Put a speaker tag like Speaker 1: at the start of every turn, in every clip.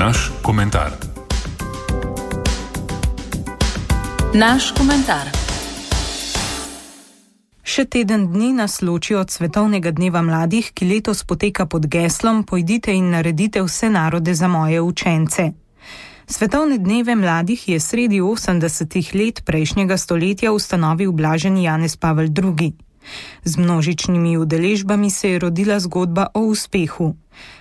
Speaker 1: Naš komentar.
Speaker 2: Naš komentar.
Speaker 3: Še teden dni nas loči od Svetovnega dneva mladih, ki letos poteka pod geslom Pojdite in naredite vse narode za moje učence. Svetovne dneve mladih je sredi 80. let prejšnjega stoletja ustanovil blaženi Janez Pavel II. Z množičnimi udeležbami se je rodila zgodba o uspehu.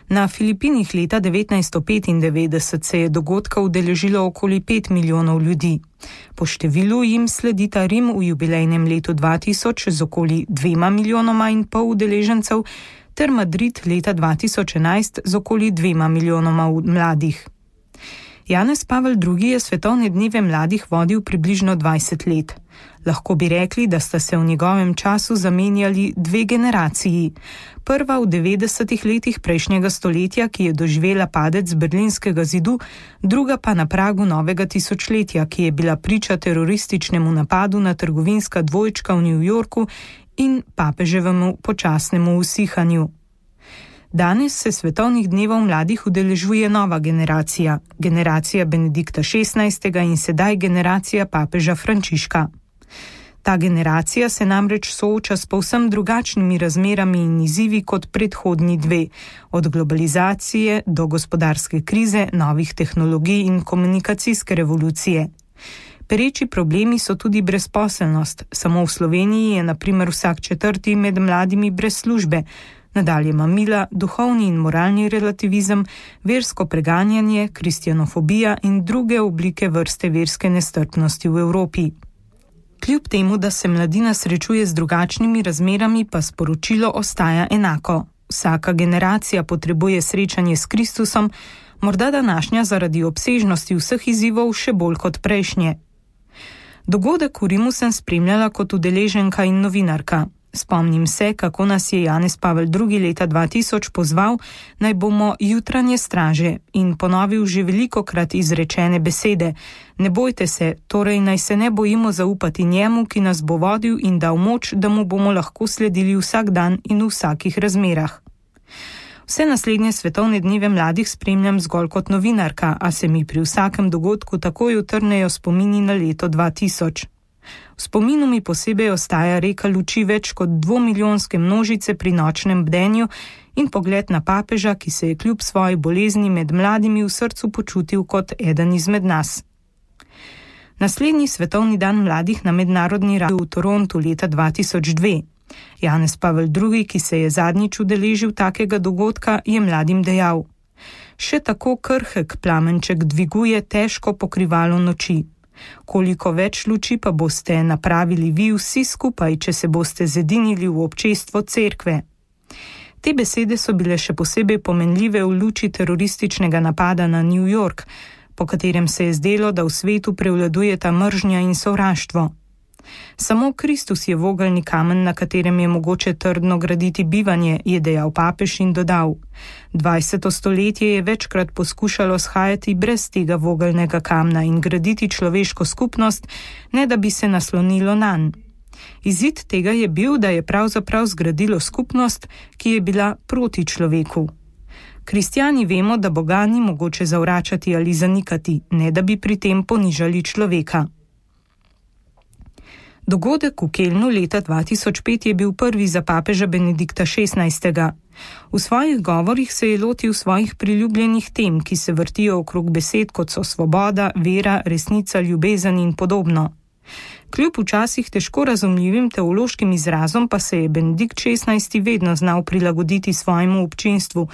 Speaker 3: Na Filipinih leta 1995 se je dogodka udeležilo okoli 5 milijonov ljudi. Po številu jim sledita Rim v jubilejnem letu 2000 z okoli 2,5 milijona udeležencev ter Madrid leta 2011 z okoli 2 milijonoma mladih. Janez Pavel II. Je svetovne dneve mladih vodil približno 20 let. Lahko bi rekli, da sta se v njegovem času zamenjali dve generaciji. Prva v 90. letih prejšnjega stoletja, ki je doživela padec Berlinskega zidu, druga pa na pragu novega tisočletja, ki je bila priča terorističnemu napadu na trgovinska dvojčka v New Yorku in papeževemu počasnemu usihanju. Danes se svetovnih dnevov mladih udeležuje nova generacija, generacija Benedikta XVI. In sedaj generacija papeža Frančiška. Ta generacija se namreč sooča s povsem drugačnimi razmerami in izzivi kot predhodni dve, od globalizacije do gospodarske krize, novih tehnologij in komunikacijske revolucije. Pereči problemi so tudi brezposelnost. Samo v Sloveniji je na primer vsak četrti med mladimi brez službe, nadalje mamila, duhovni in moralni relativizem, versko preganjanje, kristjanofobija in druge oblike vrste verske nestrpnosti v Evropi. Kljub temu, da se mladina srečuje z drugačnimi razmerami, pa sporočilo ostaja enako. Vsaka generacija potrebuje srečanje s Kristusom, morda današnja zaradi obsežnosti vseh izzivov še bolj kot prejšnje. Dogodek v Rimu sem spremljala kot udeleženka in novinarka. Spomnim se, kako nas je Janez Pavel II. Leta 2000 pozval, naj bomo jutranje straže in ponovil že velikokrat izrečene besede. Ne bojte se, torej naj se ne bojimo zaupati njemu, ki nas bo vodil in dal moč, da mu bomo lahko sledili vsak dan in v vsakih razmerah. Vse naslednje svetovne dneve mladih spremljam zgolj kot novinarka, a se mi pri vsakem dogodku takoj utrnejo spomini na leto 2000. V spominu mi posebej ostaja reka luči več kot 2-milijonske množice pri nočnem bdenju in pogled na papeža, ki se je kljub svoji bolezni med mladimi v srcu počutil kot eden izmed nas. Naslednji svetovni dan mladih na mednarodni ravni v Torontu leta 2002. Janez Pavel II., ki se je zadnjič udeležil takega dogodka, je mladim dejal: Še tako krhek plamenček dviguje težko pokrivalo noči. Koliko več luči pa boste napravili vi vsi skupaj, če se boste zedinili v občestvo cerkve. Te besede so bile še posebej pomenljive v luči terorističnega napada na New York, po katerem se je zdelo, da v svetu prevladujeta mržnja in sovraštvo. Samo Kristus je vogelni kamen, na katerem je mogoče trdno graditi bivanje, je dejal papež in dodal: 20. stoletje je večkrat poskušalo shajati brez tega vogelnega kamna in graditi človeško skupnost, ne da bi se naslonilo nanj. Izid tega je bil, da je pravzaprav zgradilo skupnost, ki je bila proti človeku. Kristjani vemo, da Boga ni mogoče zavračati ali zanikati, ne da bi pri tem ponižali človeka. Dogodek v Kelnu leta 2005 je bil prvi za papeža Benedikta XVI. V svojih govorih se je lotil svojih priljubljenih tem, ki se vrtijo okrog besed, kot so svoboda, vera, resnica, ljubezen in podobno. Kljub včasih težko razumljivim teološkim izrazom pa se je Benedikt XVI. Vedno znal prilagoditi svojemu občinstvu,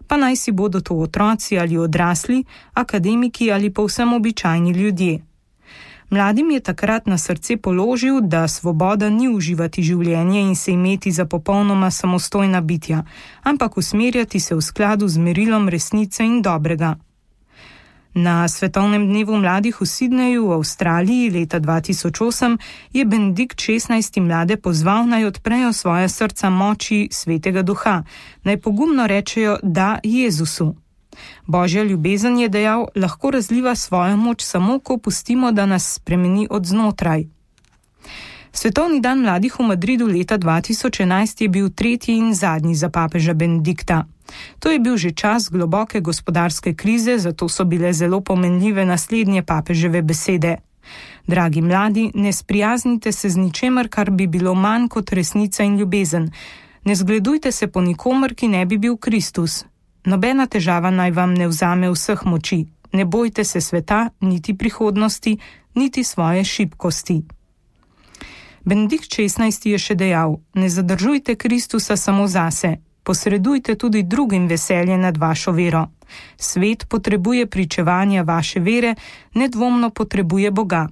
Speaker 3: pa naj si bodo to otroci ali odrasli, akademiki ali povsem običajni ljudje. Mladim je takrat na srce položil, da svoboda ni uživati življenje in se imeti za popolnoma samostojna bitja, ampak usmerjati se v skladu z merilom resnice in dobrega. Na Svetovnem dnevu mladih v Sydneyju v Avstraliji leta 2008 je Benedikt XVI. Mlade pozval, naj odprejo svoja srca moči Svetega Duha, naj pogumno rečejo da Jezusu. Božja ljubezen, je dejal, lahko razliva svojo moč samo, ko pustimo, da nas spremeni od znotraj. Svetovni dan mladih v Madridu leta 2011 je bil tretji in zadnji za papeža Benedikta. To je bil že čas globoke gospodarske krize, zato so bile zelo pomenljive naslednje papeževe besede. Dragi mladi, ne sprijaznite se z ničemer, kar bi bilo manj kot resnica in ljubezen. Ne zgledujte se po nikomer, ki ne bi bil Kristus. Nobena težava naj vam ne vzame vseh moči. Ne bojte se sveta, niti prihodnosti, niti svoje šibkosti. Benedikt XVI. Je še dejal: ne zadržujte Kristusa samo zase, posredujte tudi drugim veselje nad vašo vero. Svet potrebuje pričevanja vaše vere, nedvomno potrebuje Boga.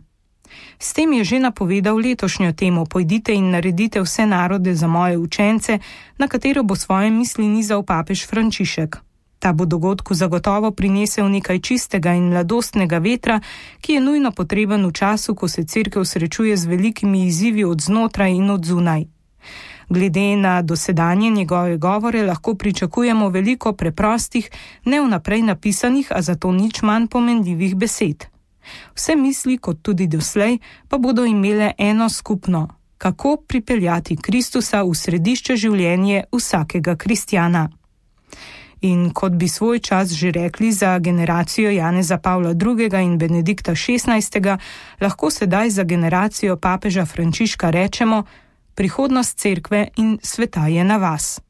Speaker 3: S tem je že napovedal letošnjo temo: pojdite in naredite vse narode za moje učence, na katero bo svoje misli nizal papež Frančišek. Ta bo dogodku zagotovo prinesel nekaj čistega in mladostnega vetra, ki je nujno potreben v času, ko se Cerkev srečuje z velikimi izzivi od znotraj in od zunaj. Glede na dosedanje njegove govore lahko pričakujemo veliko preprostih, ne vnaprej napisanih, a zato nič manj pomenljivih besed. Vse misli, kot tudi doslej, pa bodo imele eno skupno: kako pripeljati Kristusa v središče življenja vsakega kristjana. In kot bi svoj čas že rekli za generacijo Janeza Pavla II. In Benedikta XVI., lahko sedaj za generacijo papeža Frančiška rečemo: prihodnost cerkve in sveta je na vas.